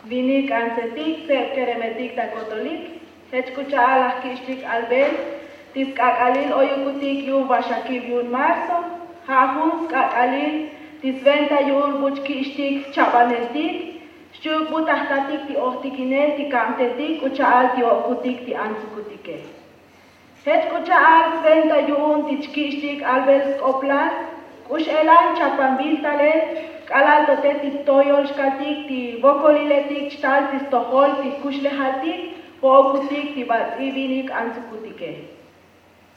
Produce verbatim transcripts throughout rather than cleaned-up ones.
Vinik k'antsetik tseb keremetik ta kotolik. Jech k'u cha'al laj kich'tik albel ti sk'ak'alil oyukutik yu'un vaxakib yu'un marzo. Ja' jun sk'ak'alil ti sventa yu'un buch kich'tik chabaneltik xchi'uk bu ta jtatik ti ojtikinel ti kabtetik k'u cha'al ti o'kutik ti antsukutike. Jech k'u cha'al sventa yu'un ti chkich'tik albel sk'oplal k'u x'elan chapanbil talel k'alal to te ti toyol xkaltik ti vokoliletik chtal ti stojol ti jkuxlejaltik vo'okutik ti bats'i vinik antsukutike.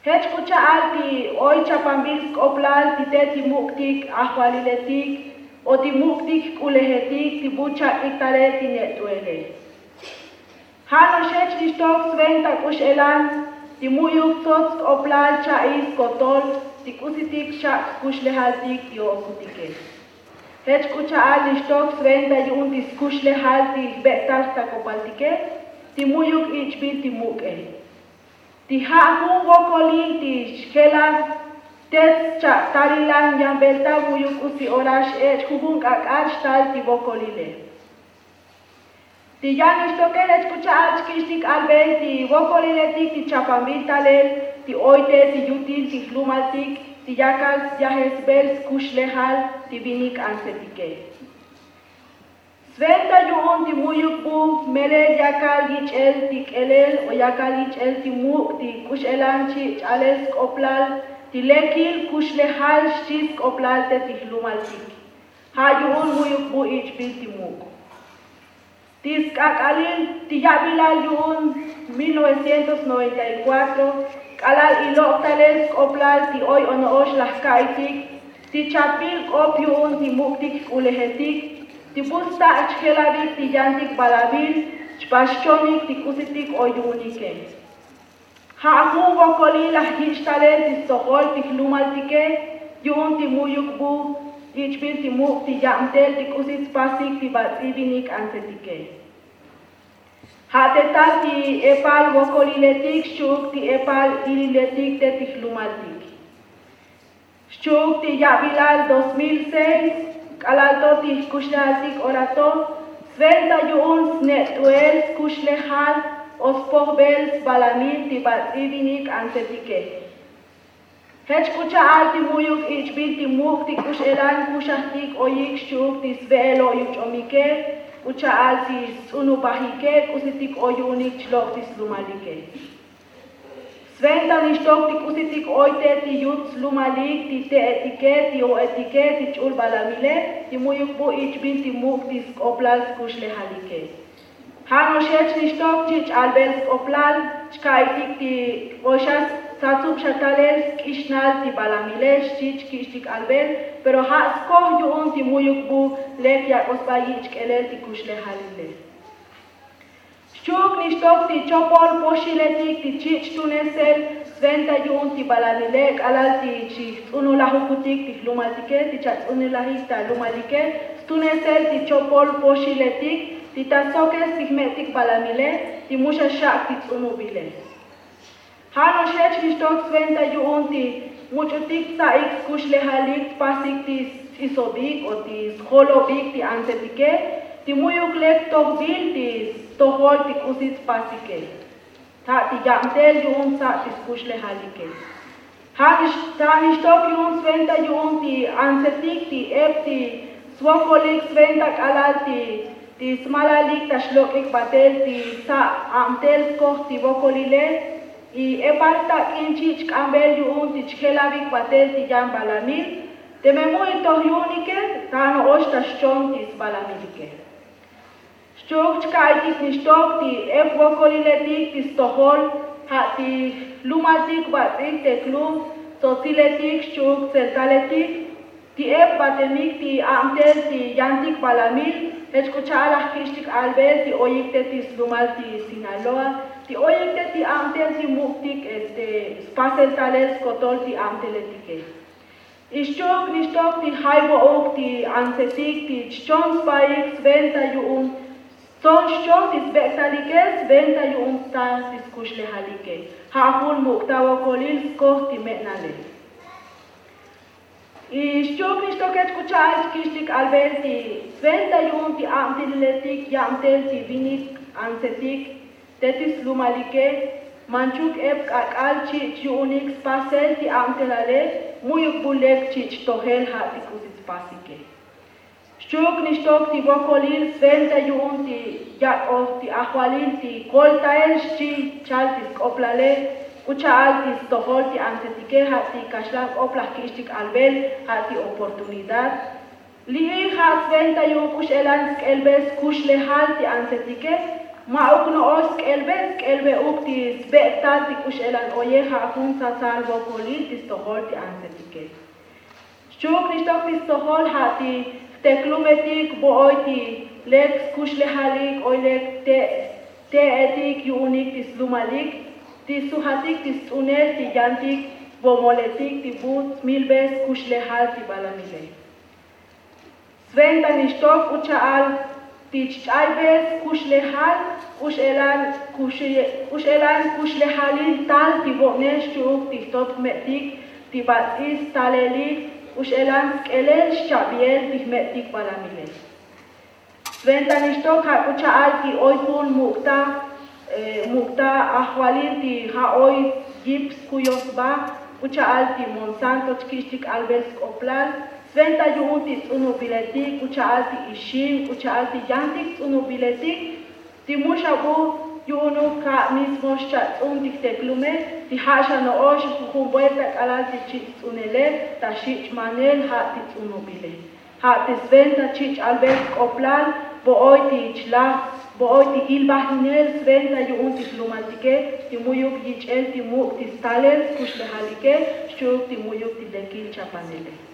Jech k'u cha'al ti oy chapanbil sk'oplal ti te ti muk'tik ajvaliletik o ti muk'tik jk'ulejetik ti bu chak'ik talel ti ne't'uele. Ja' no'ox jech nixtok sventa k'u x'elan ti mu'yuk tsots sk'oplal cha'i skotol ti k'usitik xak' jkuxlejaltik ti o'okutike. Jech k'u cha'al nixtok sventa yu'un ti skuxlejal ti jbek'tal jtakopaltike ti mu'yuk ich'bil ti muk'e. Ti ja' jun vokolil ti xjelaj tets cha'talilan yanbelta mu'yuk k'usi ora x'ech' jujun k'ak'al xtal ti vokolile. Ti yan nixtoke jech k'u cha'al chkich'tik albel ti vokoliletik ti chapanbil talel ti oy te ti yutil ti jlumaltik ti yakal syajesbel skuxlejal ti vinik k'antsetike. Sventa yu'un ti mu'yuk bu melel yakal yich'el ti k'elel o yakal yich'el ti muk' ti k'u x'elan chi' ch'alel sk'oplal ti lekil kuxlejal xchi sk'oplal te ti jlumaltik. Ja' yu'un mu'yuk bu ich'bil ti muk'. Ti sk'ak'alil ti ya'bilal yu'un mil novecientos noventa y cuatro k'alal ilok' talel sk'oplal ti oy ono'ox laj ka'itik ti chapbil k'op yu'un ti muk'tik jk'ulejetik ti bu sta' chjelavik ti yantik balamil chpax chonik ti k'usitik oy yu'unike. Ja' jun vokolil laj yich' talel ti stojol ti jlumaltike yu'un ti mu'yuk bu ich'bil ti muk' ti yabtel ti k'usi tspasik ti bats'i vinik k'antsetike. Ja' te tal ti epal vokoliletik xchi'uk ti epal ililetik te ti jlumaltik. Xchi'uk ti ya'bilal dos mil seis k'alal to ti jkuxlejaltik ora to sventa yu'un sne't'uel skuxlejal o spojbel sbalamil ti bats'i vinik k'antsetike. Jech k'u cha'al ti mu'yuk ich'bil ti muk' ti k'u x'elan kuxajtik oyik xchi'uk ti sve'el o' yuch'omike k'u cha'al ti sts'unubajike k'usitik oy yu'unik chlok' ti slumalike. Sventa nixtok ti k'usitik oy te ti yut slumalik ti te'etike ti o'etike ti ch'ul balamile ti mu'yuk bu ich'bil ti muk' ti sk'oplal skuxlejalike. Ja' no'ox jech nixtok chi' ch'albel sk'oplal chka'itik ti oy xa satsub xa talel sk'ixnal ti balamile xchi chkich'tik albel pero ja' skoj yu'un ti mu'yuk bu lek yak'o sba yich' k'elel ti kuxlejalile. Xchi'uk nixtok ti chopol poxiletik ti chich' tunesel sventa yu'un ti balamile k'alal ti chijts'unulajukutik ti jlumaltike ti chats'unulajik ta lumalike stunesel ti chopol poxiletik ti ta sokes ti jme'tik balamile ti mu xa xak' ti ts'unubile. Ja' no'ox jech nixtok sventa yu'un ti much'utik tsa'ik skuxlejalik tpasik ti sts'isobik o ti sjolobik ti antsetike ti mu'yuk lek tojbil ti stojol ti k'usi tspasike. Ta' ti yabtel yu'un tsa' ti skuxlejalike. Ja' nix ta' nixtok yu'un sventa yu'un ti antsetik ti ep ti svokolik sventa k'alal ti ti smalalik ta xlok'ik batel ti sa' abtel skoj ti vokolile. Y epal tak'in chich' k'ambel yu'un ti chjelavik batel ti yan balamil teme mu' itoj yu'unike ta no'ox ta xchon ti sbalamilike. Xchi'uk chka'itik nixtok ti ep vokoliletik ti stojol ja' ti jlumaltik bats'ik te klub tsotsiletik xchi'uk tseltaletik ti ep batemik ti abtel ti yantik balamil. Jech k'u cha'al laj kich'tik albel ti oyik te ti slumal ti sinaloa ti oyik te ti abtel ti muk'tik este spasel talel skotol ti abteletike. Ixchuk nixtok ti jay vo'uk ti antsetik ti chchon sbaik sventa yu'un ston xchon ti sbek'talike sventa yu'un sta ti skuxlejalike. Ja' jun muk'ta vokolil skoj ti me'nale. Y xchi'uk nixtoke chk'u cha'al chkixtik albel ti sventa yu'un ti abtililetik yabtel ti vinik antsetik te ti slumalike. Manchuk ep k'ak'al chich' yu'unik spasel ti abtelale. Mu'yuk bu lek chich' tojel ja' ti k'usi tspasike. Xchi'uk nixtok ti vokolil sventa yu'un ti yak'oj ti ajvalil ti koltael xchi chal ti sk'oplale. K'u cha'al ti stojol ti antsetike ja' ti kaxlan k'op laj ki'ixtik albel ja' ti oportunidad. Li'il ja' sventa yu'un k'u x'elan sk'elbe skuxlejal ti antsetike. Ma'uk no'ox sk'elbe sk'elbeuk ti sbek'tal ti k'u x'elan oye ja' jun tsatsal vokolil ti stojol ti antsetike. Xchi'uk nixtok ti stojol ja' ti jteklumetik vo'oy ti lek skuxlejalik oy lek te'etik yu'unik ti slumalik ti sujatik ti sts'unel ti yantik vomoletik ti bu smilbe skuxlejal ti balamile. Sventa nixtok k'u cha'al ti chch'aybe skuxlejal k'u x'elan kuxlejalil tal ti vo'ne xchi'uk ti jtot jme'tik ti bats'il stalelil k'u x'elan sk'elel xchabiel ti jme'tik balamile. Sventa nixtok ja' k'u cha'al ti oy jun muk'ta muk'ta ajvalil ti ja' oy yip skuyoj sba k'u cha'al ti monsanto chki'ixtik albel sk'oplal. Sventa yu'un ti ts'unubiletik k'u cha'al ti ixim k'u cha'al ti yantik ts'unubiletik ti mu xa bu yu'unuk ja' mismo xcha' ts'un ti jteklume ti ja' xa no'ox jujun buelta k'alal ti chich' ts'unele ta xich' manel ja' ti ts'unubile. Ja' ti sventa chich' albel sk'oplal vo'oy ti chlaj vo'oy ti ilbajinel sventa yu'un ti jlumaltike ti mu'yuk yich'el ti muk' ti stalel skuxlejalike xchi'uk ti mu'yuk ti lekil chapanele.